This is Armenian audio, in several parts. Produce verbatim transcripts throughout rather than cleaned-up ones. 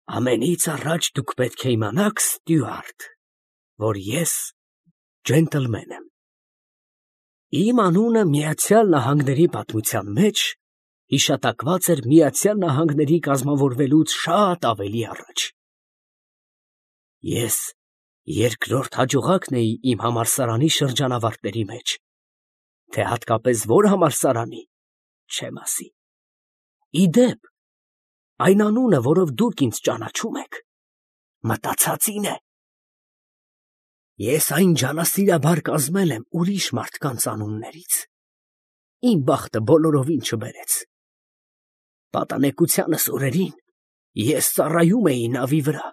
Ամենից առաջ դուք պետք է իմանաք, Ստյուարտ, որ ես ջենտլմեն եմ։ Իմ անունը Միացյալ Նահանգների պատմության մեջ հիշատակված էր Միացյալ Նահանգների կազմավորվելուց շատ ավելի առաջ։ Ես երկրորդ հաջողակն էի իմ համալսարանի շրջանավարտների մեջ, թե հատկապես որ համալսարանի, չեմ ասի։ Ի դեպ, այն անունը, որով դուք ինձ ճանաչում եք, մտածածին է։ Ես այն ջանասիրաբար կազմել եմ ուրիշ մարդկանց անուններից։ Իմ բախտը բոլորովին չբերեց։ Պատանեկությանս օրերին ես ծառայում էի նավի վրա,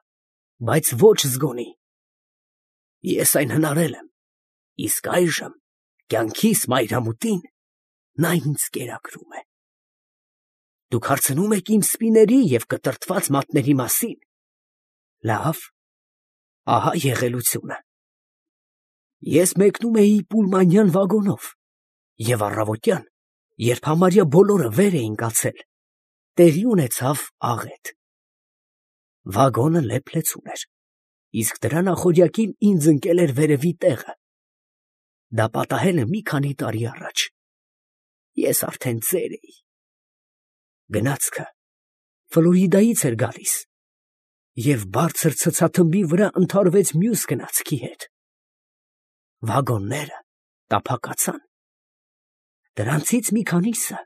բայց ոչ զգոնի։ Ես այն հնարել եմ, իսկ այժմ կյանքիս մայրամուտին նա ինձ կերակրում է։ Դուք հարցնում եք իմ սպիների և կտրտված մատների մասին։ Լավ, ահա եղելությունը։ Ես մեկնում էի պուլմանյան վագոնով, և առավոտյան, երբ համարյա բոլորը վեր էին կացել, տեղի ունեցավ աղետ։ Վագոնը լեփ-լեցուն էր, իսկ դրա նախօրյակին ինձ ընկել էր վերևի տեղը։ Դա պատահել է մի քանի տարի առաջ։ Ես արդեն ծեր էի։ Գնացքը Ֆլորիդայից էր գալիս, և բարձր ցցաթմբի վրա ընդհարվեց մյուս գնացքի հետ։ Վագոնները տափակացան։ Դրանցից մի քանիսը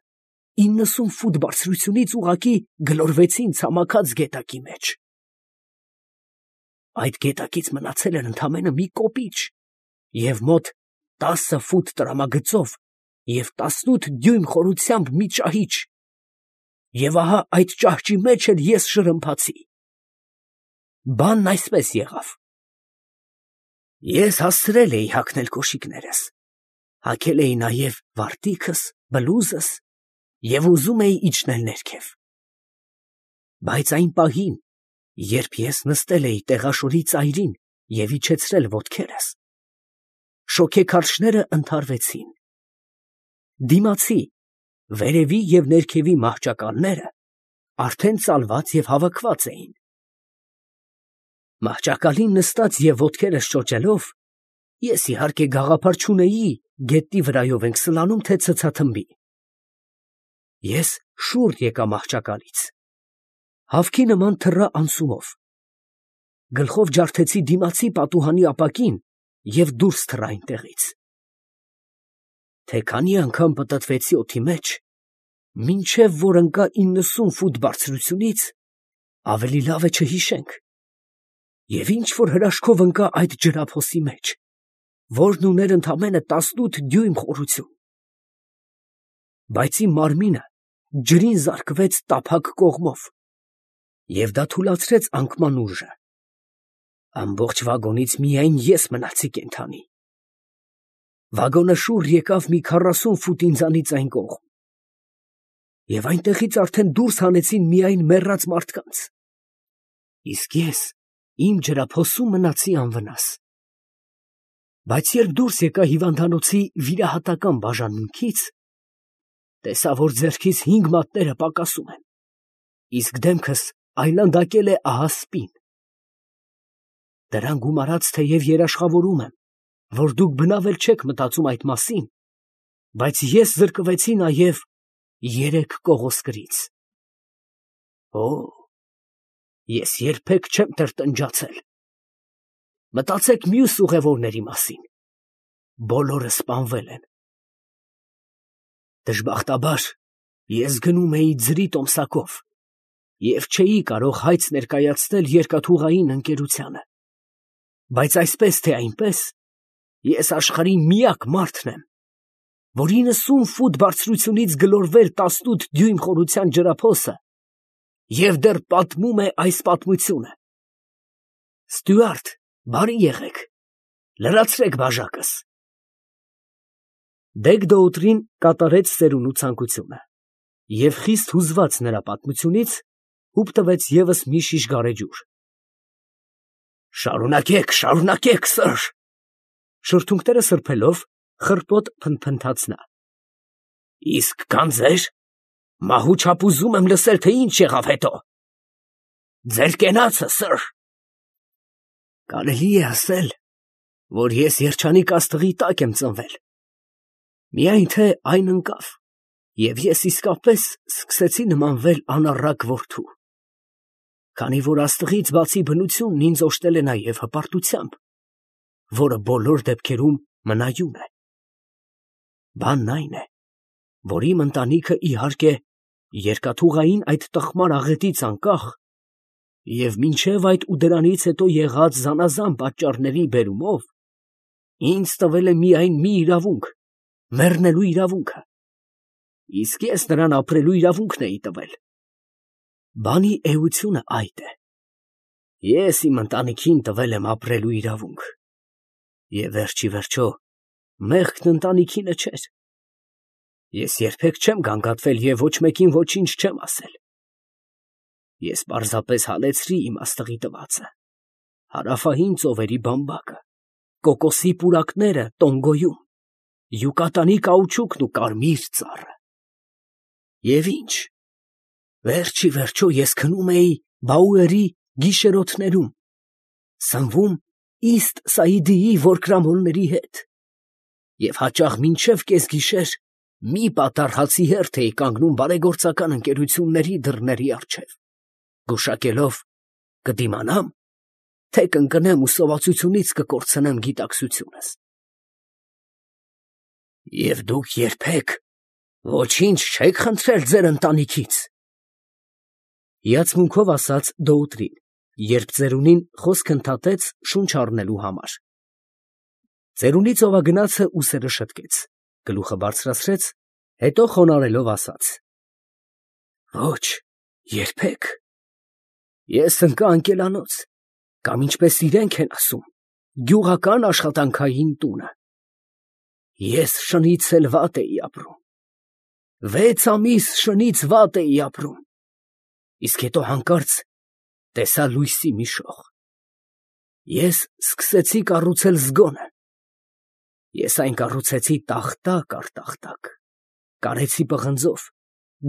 իննսուն ֆուտ բարձրությունից ուղղակի գլորվեցին ցամաքած գետակի մեջ։ Այդ գետակից մնացել էր ընդամենը մի կոպիչ և մոտ տասը ֆուտ տրամագծով և տասնութ դյույմ խորությամբ մի ճահիճ, և ահա այդ ճահճի մեջ էլ ես շրմփացի։ Բանն այսպես եղավ. ես հասցրել էի հագնել կոշիկներս, հագել էի նաև վարտիքս, բլուզս և ուզում էի իջնել ներքև։ Բայց այն պահին, երբ ես նստել էի տեղաշորի ծայրին և իջեցրել ոտքերս, շոգեքարշները ընդհարվեցին։ Դիմացի, վերևի և ներքևի մահճակալները արդեն ծալված և հավաքված էին։ Մահճակալին նստած և ոտքերս շոչելով, ես իհարկե գաղափար չունեի գետնի վրայով ենք սլանում, թե ցցաթմբի։ Ես շուռ եկա մահճակալից, հավքի նման թռա անցումով, գլխով ջարդեցի դիմացի պատուհանի ապակին և դուրս թռա այնտեղից։ Թե քանի անգամ պտտվեցի օդի մեջ, մինչև որ ընկա իննսուն ֆուտ բարձրությունից, ավելի լավ է չհիշենք, և ինչ֊որ հրաշքով ընկա այդ ջրափոսի մեջ, որն ուներ ընդամենը տասնութ դյույմ խորություն։ Բայց իմ մարմինը ջրին զարկվեց տափակ կողմով, և դա թուլացրեց անկման ուժը։ Ամբողջ վագոնից միայն ես մնացի կենդանի։ Վագոնը շուռ եկավ մի քառասուն ֆուտ ինձանից այն կողմ, և այնտեղից արդեն դուրս հանեցին միայն մեռած մարդկանց, իսկ ես իմ ջրափոսում մնացի անվնաս։ Բայց երբ դուրս եկա հիվանդանոցի վիրահատական բաժանմունքից, տեսա, որ ձեռքիս հինգ մատները պակասում են, իսկ դեմքս այլանդակել է ահա սպին։ Դրան գումարած թեև երաշխավորում եմ, որ դուք բնավ էլ չեք մտածում այդ մասին, բայց ես զրկվեցի նաև երեք կողոսկրից։ Օ՜, ես երբեք չեմ տրտնջացել։ Մտածեք մյուս ուղևորների մասին. բոլորը սպանվել են։ Դժբախտաբար ես գնում էի ձրի տոմսակով և չէի կարող հայց ներկայացնել երկաթուղային ընկերությանը, բայց այսպես թե այնպես, ես աշխարհի միակ մարդն եմ, որ իննսուն ֆուտ բարձրությունից գլորվել տասնութ դյույմ խորության ջրափոսը և դեռ պատմում է այս պատմությունը։ Ստյուարտ, բարի եղեք, լրացրեք բաժակս։ Դեգ֊Դոուտրին կատարեց ծերունու ցանկությունը և խիստ հուզված նրա պատմությունից, հուպ տվեց ևս մի շիշ գարեջուր։ Շարունակեք, շարունակեք, սըր, շրթունքները սրբելով, խռպոտ փնթփնթաց նա։ Իսկ գանձեր, մահու չափ ուզում եմ լսել, թե ինչ եղավ հետո։ Ձեր կենացը, սըր։ Կարելի է ասել, որ ես երջանիկ աստղի տակ եմ ծնվել, միայն թե այն ընկավ, և ես իսկապես սկսեցի նմանվել անառակ որդու, քանի որ աստղից բացի բնությունն ինձ օժտել է նաև հպարտությամբ, որը բոլոր դեպքերում մնայուն է։ Բանն այն է, որ իմ ընտանիքը իհարկե երկաթուղային այդ տխմար աղետից անկախ և մինչև այդ ու դրանից հետո եղած զանազան պատճառների բերումով ինձ տվել է միայն մի իրավունք, մեռնելու իրավունքը, իսկ ես նրան ապրելու իրավունքն էի տվել։ Բանի էությունը այդ է. ես իմ ընտանիքին տվել եմ ապրելու իրավունք, և վերջ ի վերջո մեղքն ընտանիքինը չէր։ Ես երբեք չեմ գանգատվել և ոչ մեկին ոչինչ չեմ ասել։ Ես պարզապես հալեցրի իմ աստղի տվածը, հարավային ծովերի բամբակը, կոկոսի պուրակները Տոնգոյում, յուկատանի կաուչուկն ու կարմիր ծառը։ Եվ ի՞նչ, վերջ ի վերջո ես քնում էի Բաուերի գիշերօթներում, սնվում Իստ Սաիդիի որկրամոլների հետ և հաճախ մինչև կեսգիշեր մի պատառ հացի հերթ էի կանգնում բարեգործական ընկերությունների դռների առջև, գուշակելով կդիմանամ, թե կընկնեմ ու սովածությունից կկորցնեմ գիտակցությունս։ Եվ դուք երբեք ոչինչ չեք խնդրել ձեր ընտանիքից, հիացմունքով ասաց Դոուտրին, երբ ծերունին խոսք ընդհատեց շունչ առնելու համար։ Ծերունի ծովագնացը ուսերը շտկեց, գլուխը բարձրացրեց, հետո խոնարհելով ասաց. Ոչ, երբեք։ Ես ընկա անկելանոց, կամ ինչպես իրենք են ասում, գյուղական աշխատանքային տունը։ Ես շնից էլ վատ էի ապրում, վեց ամիս շնից վատ էի ապրում, իսկ հետո հանկարծ տեսա լույսի մի շող։ Ես սկսեցի կառուցել զգոնը։ Ես այն կառուցեցի տախտակ առ տախտակ, կարեցի պղնձով,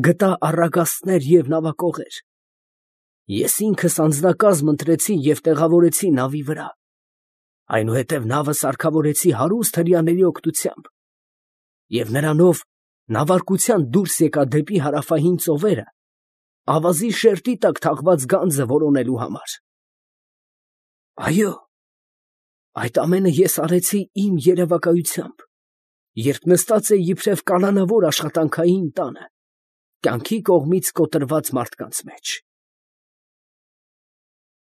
գտա առագաստներ և նավակողեր։ Ես ինքս անձնակազմ ընտրեցի և տեղավորեցի նավի վրա, այնուհետև նավը սարքավորեցի հարուստ հրեաների օգնությամբ, և նրանով նավարկության դուրս եկա դեպի հարավային ծովերը, ավազի շերտի տակ թաղված գանձը որոնելու համար։ Այո, այդ ամենը ես արեցի իմ երևակայությամբ, երբ նստած էի իբրև կալանավոր աշխատանքային տանը, կյանքի կողմից կոտրված մարդկանց մեջ։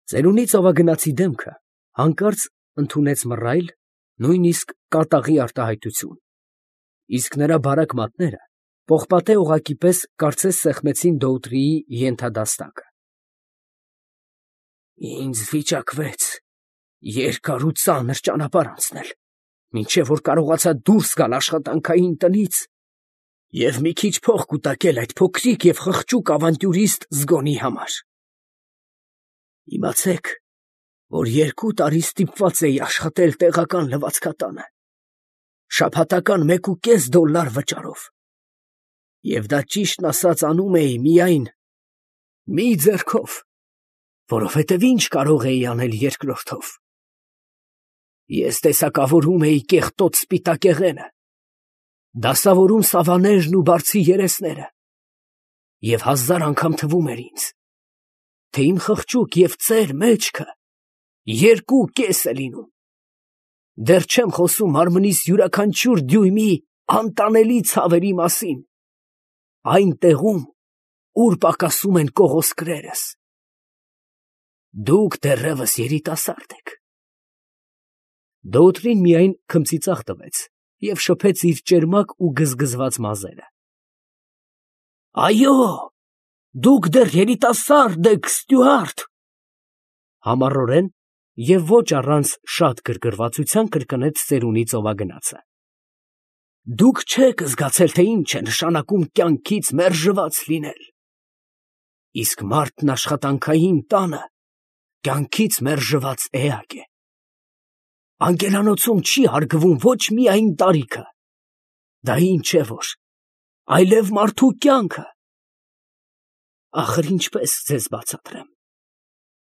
Ծերունի ծովագնացի դեմքը հանկարծ ընդունեց մռայլ, նույնիսկ կատաղի արտահայտություն, իսկ նրա բարակ մատները պողպատե օղակի պես կարծես սեղմեցին Դոուտրիի ենթադաստակը։ Ինձ վիճակվեց երկար ու ծանր ճանապարհ անցնել, մինչև որ կարողացա դուրս գալ աշխատանքային տնից և մի քիչ փող կուտակել այդ փոքրիկ և խղճուկ ավանտյուրիստ զգոնի համար։ Իմացեք, որ երկու տարի ստիպված էի աշխատել տեղական լվացքատանը, շաբաթական մեկ ու կես դոլլար վճարով, և դա ճիշտն ասած անում էի միայն մի ձեռքով, որովհետև ինչ կարող էի անել երկրորդով։ Ես տեսակավորում էի կեղտոտ սպիտակեղենը, դասավորում սավաներն ու բարձի երեսները, և հազար անգամ թվում էր ինձ, թե իմ խղճուկ և ծեր մեջքը երկու կես է լինում։ Դեռ չեմ խոսում մարմնիս յուրաքանչյուր դյույմի անտանելի ցավերի մասին, այն տեղում, ուր պակասում են կողոսկրերս։ Դուք դեռևս երիտասարդ եք։ Դոուտրին միայն քմծիծաղ տվեց և շփեց իր ճերմակ ու գզգզված մազերը։ Այո, դուք դեռ երիտասարդ եք, Ստյուարտ, համառորեն և ոչ առանց շատ գրգռվածության կրկնեց ծերունի ծովագնացը։ Դուք չեք զգացել, թե ինչ է նշանակում կյանքից մերժված լինել, իսկ մարդն աշխատանքային տանը կյանքից մերժված էակ է։ Անկելանոցում չի հարգվում ոչ միայն տարիքը, դա ինչ է որ, այլև մարդու կյանքը։ Ախր ինչպես ձեզ բացատրեմ։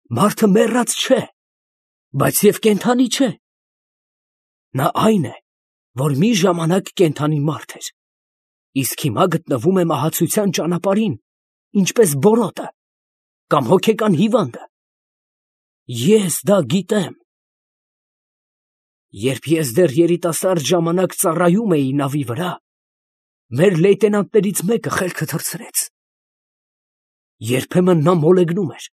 Մարդը մեռած չէ, բայց և կենդանի չէ։ Նա այն է, որ մի ժամանակ կենդանի մարդ էր, իսկ հիմա գտնվում է մահացության ճանապարհին, ինչպես բորոտը կամ հոգեկան հիվանդը։ Ես դա գիտեմ։ Երբ ես դեռ երիտասարդ ժամանակ ծառայում էի նավի վրա, մեր լեյտենանտներից մեկը խելքը թռցրեց։ Երբեմն նա մոլեգնում էր,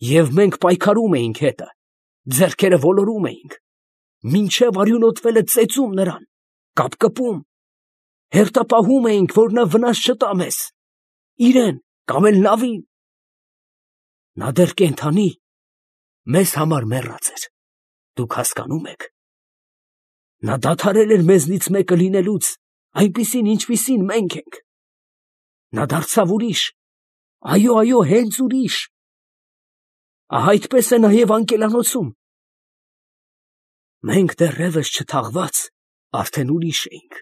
և մենք պայքարում էինք հետը, ձեռքերը ոլորում էինք, մինչև արյունոտվելը ծեծում նրան, կապկպում, հերթապահում էինք, որ նա վնաս չտա մեզ, իրեն կամ էլ նավին։ Նա դեռ կենդանի, մեզ համար մեռած էր, դուք հասկանում եք։ Նա դադարել էր մեզնից մեկը լինելուց, այնպիսին, ինչպիսին մենք ենք։ Նա դարձավ ուրիշ, այո, այո, հենց ուրիշ։ Ահա այդպես է նաև անկելանոցում։ Մենք դեռևս չթաղված արդեն ուրիշ էինք։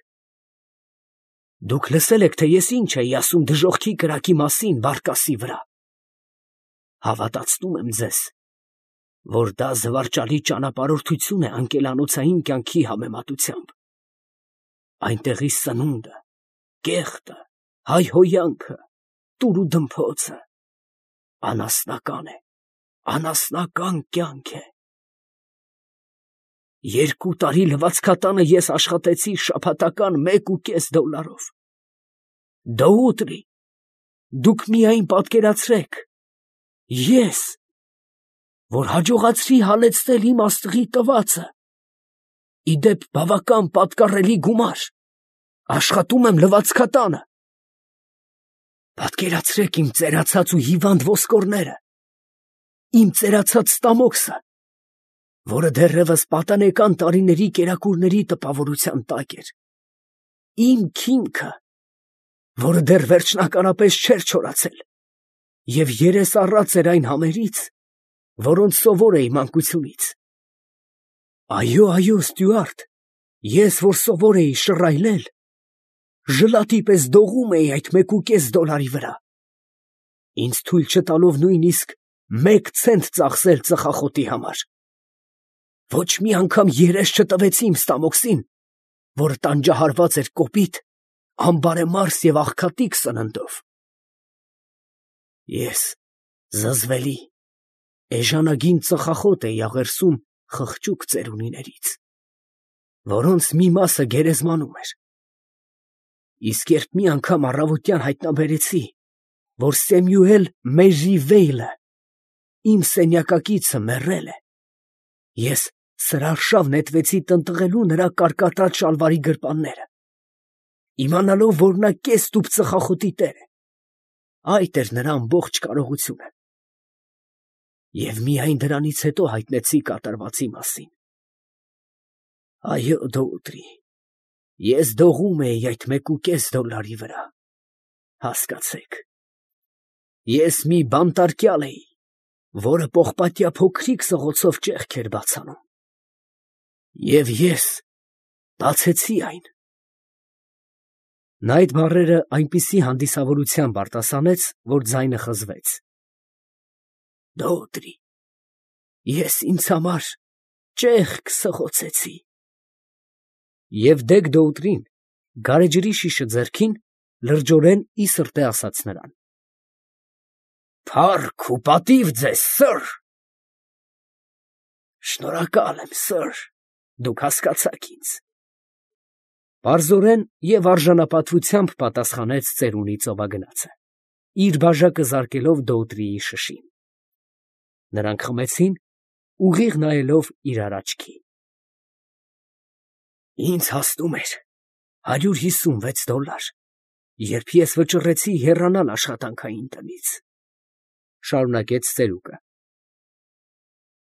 Դուք լսել եք, թե ես ինչ էի ասում դժոխքի կրակի մասին Բարկասի վրա։ Հավատացնում եմ ձեզ, որ դա զվարճալի ճանապարհորդություն է անկելանոցային կյանքի համեմատությամբ։ Այնտեղի սնունդը, կեղտը, հայհոյանքը, տուր ու դմփոցը անասնական է, անասնական կյանք է։ Երկու տարի լվացքատանը ես աշխատեցի շաբաթական մեկ ու կես դոլարով։ Դոուտրի, դուք միայն պատկերացրեք, ես, որ հաջողացրի հալեցնել իմ աստղի տվածը, ի դեպ բավական պատկառելի գումար, աշխատում եմ լվացքատանը։ Պատկերացրեք իմ ծերացած ու հիվանդ ոսկորները, իմ ծերացած ստամոքսը, որը դեռևս պատանեկան տարիների կերակուրների տպավորության տակ էր, իմ քիմքը, որը դեռ վերջնականապես չէր չորացել և երես առած էր այն համերից, որոնց սովոր էի մանկությունից։ Այո, այո, Ստյուարտ, ես, որ սովոր էի շռայլել, ժլատի պես դողում էի այդ մեկուկես դոլարի վրա, ինձ թույլ չտալով նույնիսկ մեկ ցենտ ծախսել ծխախոտի համար։ Ոչ մի անգամ երես չտվեցի իմ ստամոքսին, որը տանջահարված էր կոպիտ, անբարեմարս և աղքատիկ սննդով։ Ես զզվելի, էժանագին ծխախոտ էի աղերսում խղճուկ ծերունիներից, որոնց մի մասը գերեզմանում էր։ Իսկ երբ մի անգամ առավոտյան հայտնաբերեցի, որ Սեմյուել Մեժիվեյլը, իմ սենյակակիցը, մեռել է, ես սրարշավ նետվեցի տնտղելու նրա կարկատած շալվարի գրպանները, իմանալով, որ նա կես տուփ ծխախոտի տեր է։ Այդ էր նրա ամբողջ կարողությունը։ Եվ միայն դրանից հետո հայտնեցի կատարվածի մասին։ Այո, Դոուտրի, ես դողում էի այդ մեկուկես դոլարի վրա, հասկացեք։ Ես մի բանտարկյալ էի, որը պողպատյա փոքրիկ սղոցով ճեղք էր բաց անում։ Եվ ես բացեցի այն։ Նա այդ բառերը այնպիսի հանդիսավորությամբ արտասանեց, որ ձայնը խզվեց։ Դոուտրի, ես ինձ համար ճեղք սղոցեցի։ Եվ դեգ Դոուտրին, գարեջրի շիշը ձեռքին, լրջորեն ի սրտե ասաց նրան. Փառք ու պատիվ ձեզ, սըր։ Շնորհակալ եմ, սըր, դուք հասկացաք ինձ։ Պարզորեն և արժանապատվությամբ պատասխանեց ծերունի ծովագնացը, իր բաժակը զարկելով Դոուտրիի շշին։ Նրանք խմեցին, ուղիղ նայելով իրար աչքի։ Ինձ հասնում էր հարյուր հիսունվեց դոլար, երբ ես վճռեցի հեռանալ աշխատանքային տնից, շարունակեց ծերուկը։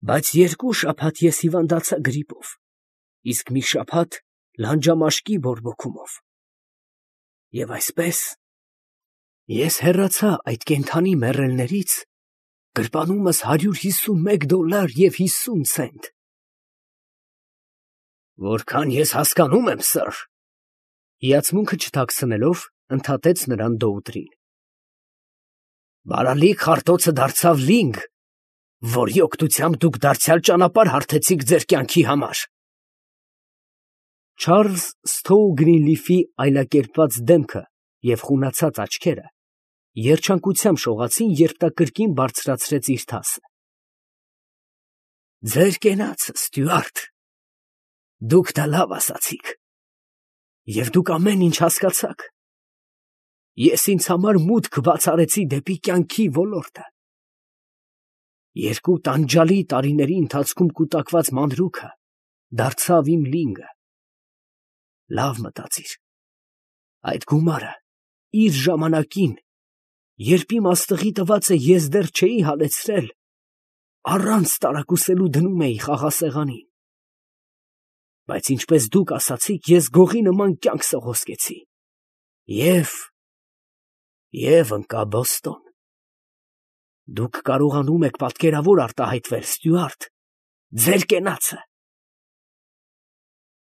Բայց երկու շաբաթ ես հիվանդացա գրիպով, իսկ մի շաբաթ լանջամաշկի բորբոքումով։ Եվ այսպես ես հեռացա այդ կենդանի մեռելներից, գրպանումս հարյուր հիսունմեկ դոլար և հիսուն ցենտ։ Որքան ես հասկանում եմ, սըր, հիացմունքը չթաքցնելով, ընդհատեց նրան Դոուտրին։ Բարալիկ խարտոցը դարձավ լինգ, որի օգնությամբ դուք դարձյալ ճանապարհ հարթեցիք ձեր կյանքի համար։ Չարլզ Սթոու Գրինլիֆի այլակերպված դեմքը և խունացած աչքերը երջանկությամբ շողացին, երբ նա կրկին բարձրացրեց իր թասը։ Ձեր կենացը, Ստյուարտ, դուք դա լավ ասացիք, և դուք ամեն ինչ հասկացաք։ Ես ինձ համար մուտք բաց արեցի դեպի կյանքի ոլորտը։ Երկու տանջալի տարիների ընթացքում կուտակված մանրուքը դարձավ իմ լինգը։ Լավ մտածիր, այդ գումարը իր ժամանակին, երբ իմ աստղի տվածը ես դեռ չէի հալեցրել, առանց տարակուսելու դնում էի խաղասեղանին, բայց ինչպես դուք ասացիք, ես գողի նման կյանք սողոսկեցի և… և ընկա Բոստոն։ Դուք կարողանում եք պատկերավոր արտահայտվել, Ստյուարտ, ձեր կենացը,